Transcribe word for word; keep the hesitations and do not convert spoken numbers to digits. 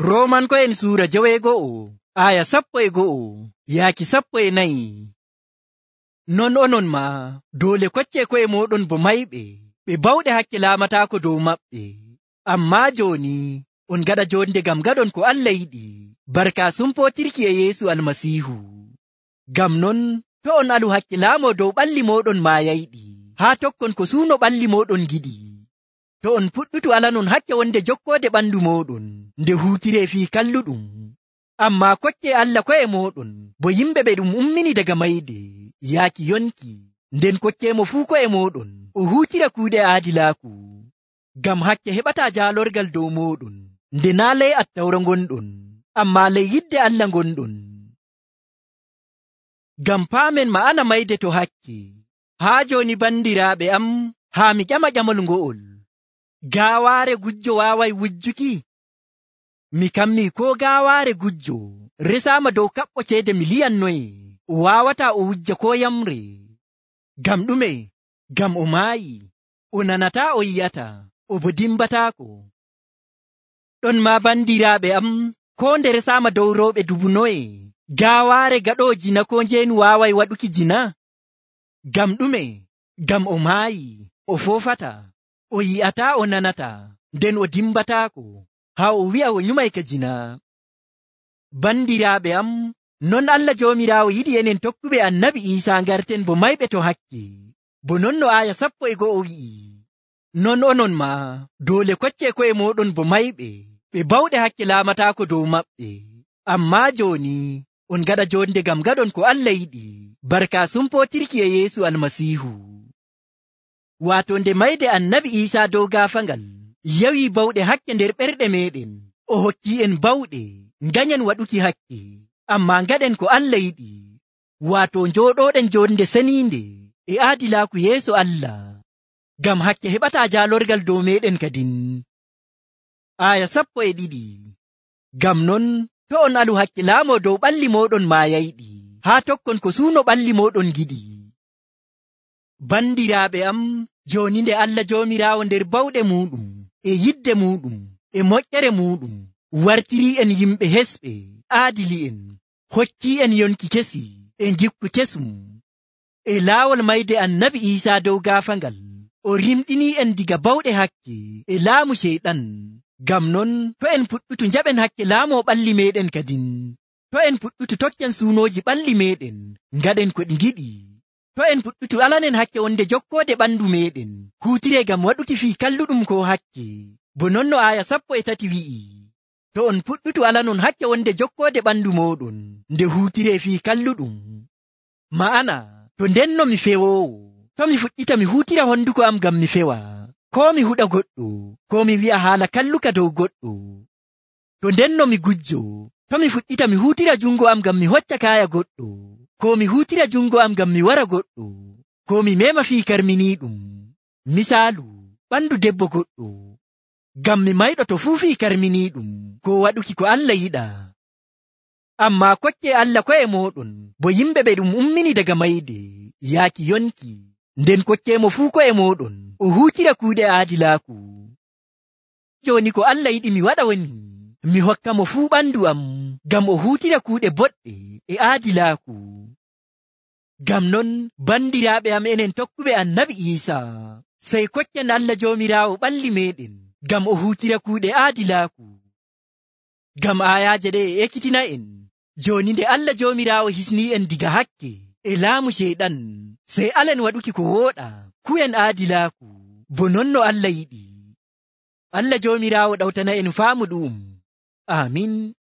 Roomanko'en suura joweego'o aya sappo e go'o yaaki sappo e nayi. Non onon maa doole koccee ko'e mooɗon bo mayɓe ɓe bawɗe hakke laamataako dow maɓɓe. Ammaa jooni on gaɗa jonde ngam gaɗon ko Allah yiɗi barka sumpootirki e Yeesu Almasiihu. Ngam non to on alu hakke laamoo dow ɓalli mooɗon maayayɗi haa tokkon ko suuno ɓalli mooɗon giɗi. To on puɗɗutu alanon hakke wonde jokkoode ɓandu mooɗon nde huutiree fii kalluɗum. Ammaa koccee Allah ko'e mooɗon bo yimɓe ɓe ɗum ummini daga mayde yaaki yonki, nden kocceemo fuu ko'e mooɗon o huutira kuuɗe aadilaaku. Ngam hakke heɓataa jaalorgal dow mooɗon nde naa ley Attawra ngonɗon, ammaa ley yidde Allah ngonɗon. Ngam paamen ma'ana mayde to hakke. Haa jooni bandiraaɓe am, haa mi ƴama ƴamol ngo'ol. Gaawaare gujjo waaway wujjuki? Mi kammi koo gaawaare gujjo resaama dow kaɓɓo ceede miliyan noye o waawataa o wujja koo yamre. Ngam ɗume? Ngam o maayi, o nanataa, o yi'ataa, o bo dimbataako. Ɗon maa bandiraaɓe am, koo nde resaama dow rewɓe dubu noye gaawaare gaɗoo jina koo njeenu waaway waɗuki jina? Ngam ɗume? Ngam o maayi, o foofataa, o yi'ataa, o nanataa, nden o dimbataako haa o wi'a o nyumay ka jina. Bandiraaɓe am, non Allah Joomiraawo yiɗi enen tokkuɓe Annabi Iisaa ngarten bo mayɓe to hakke, bo non no aaya sappo e go'o wi'i. Non onon maa doole koccee ko'e mooɗon bo mayɓe ɓe bawɗe hakke laamataako dow maɓɓe. Ammaa jooni on gaɗa jonde ngam gaɗon ko Allah yiɗi barka sumpootirki e Yeesu Almasiihu. Waato nde mayde Annabi Iisaa dow gaafangal yawi bawɗe hakke nder ɓerɗe meeɗen, o hokki en bawɗe nganyen waɗuki hakke, ammaa ngaɗen ko Allah yiɗi, waato njooɗooɗen jonde seniinde e aadilaaku yeeso Allah. Ngam hakke heɓataa jaalorgal dow meeɗen kadin. Aya sappo e ɗiɗi. Ngam non to on alu hakke laamoo dow ɓalli mooɗon maayayɗi haa tokkon ko suuno ɓalli mooɗon giɗi. Bandiraaɓe am, jooni nde Allah Joomiraawo nder bawɗe muuɗum e yidde muuɗum e moƴƴere muuɗum wartirii en yimɓe hesɓe aadili'en, hokkii en yonki kesi e ngikku kesum e laawol mayde Annabi Iisaa dow gaafangal, o rimɗinii en diga bawɗe hakke e laamu Ceyɗan. Ngam non to en puɗɗutu njaɓen hakke laamoo ɓalli meeɗen kadin. To en puɗɗutu tokken suunooji ɓalli meeɗen ngaɗen ko ɗi ngiɗi. To en puɗɗutu alanen hakke wonde jokkoode ɓandu meeɗen huutiree ngam waɗuki fii kalluɗum ko hakke, bo non no aaya sappo e tati wi'i. To on puɗɗutu alanon hakke wonde jokkoode ɓandu mooɗon nde huutiree fii kalluɗum. Ma'ana to ndenno mi fewoowo, to mi fuɗɗita mi huutira honduko am ngam mi fewa, koo mi huɗa goɗɗo, koo mi wi'a haala kalluka dow goɗɗo. To ndenno mi gujjo, to mi fuɗɗita mi huutira jungo am ngam mi hocca kaaya goɗɗo, koo mi huutira jungo am ngam mi wara goɗɗo, koo mi mema fii karminiiɗum, misaalu ɓandu debbo goɗɗo, ngam mi mayɗo to fuu fii karminiiɗum koo waɗuki ko Allah yiɗa. Ammaa koccee Allah ko'e mooɗon bo yimɓe ɓe ɗum ummini daga mayde yaaki yonki, nden kocceemo fuu ko'e mooɗon o huutira kuuɗe aadilaaku. Jooni ko Allah yiɗi mi waɗa woni mi hokka mo fuu ɓandu am ngam o huutira kuuɗe boɗɗe e aadilaaku. Ngam non bandiraaɓe am, enen tokkuɓe Annabi Iisaa, sey koccen Allah Joomiraawo ɓalli meeɗen ngam o huutira kuuɗe aadilaaku. Ngam aayaaje ɗe e ekkitina en jooni nde Allah Joomiraawo hisnii en diga hakke e laamu Ceyɗan, sey alen waɗuki ko wooɗa ku'en aadilaaku, bo non no Allah yiɗi. Allah Joomiraawo ɗawtana en faamu ɗu'um. Aamin.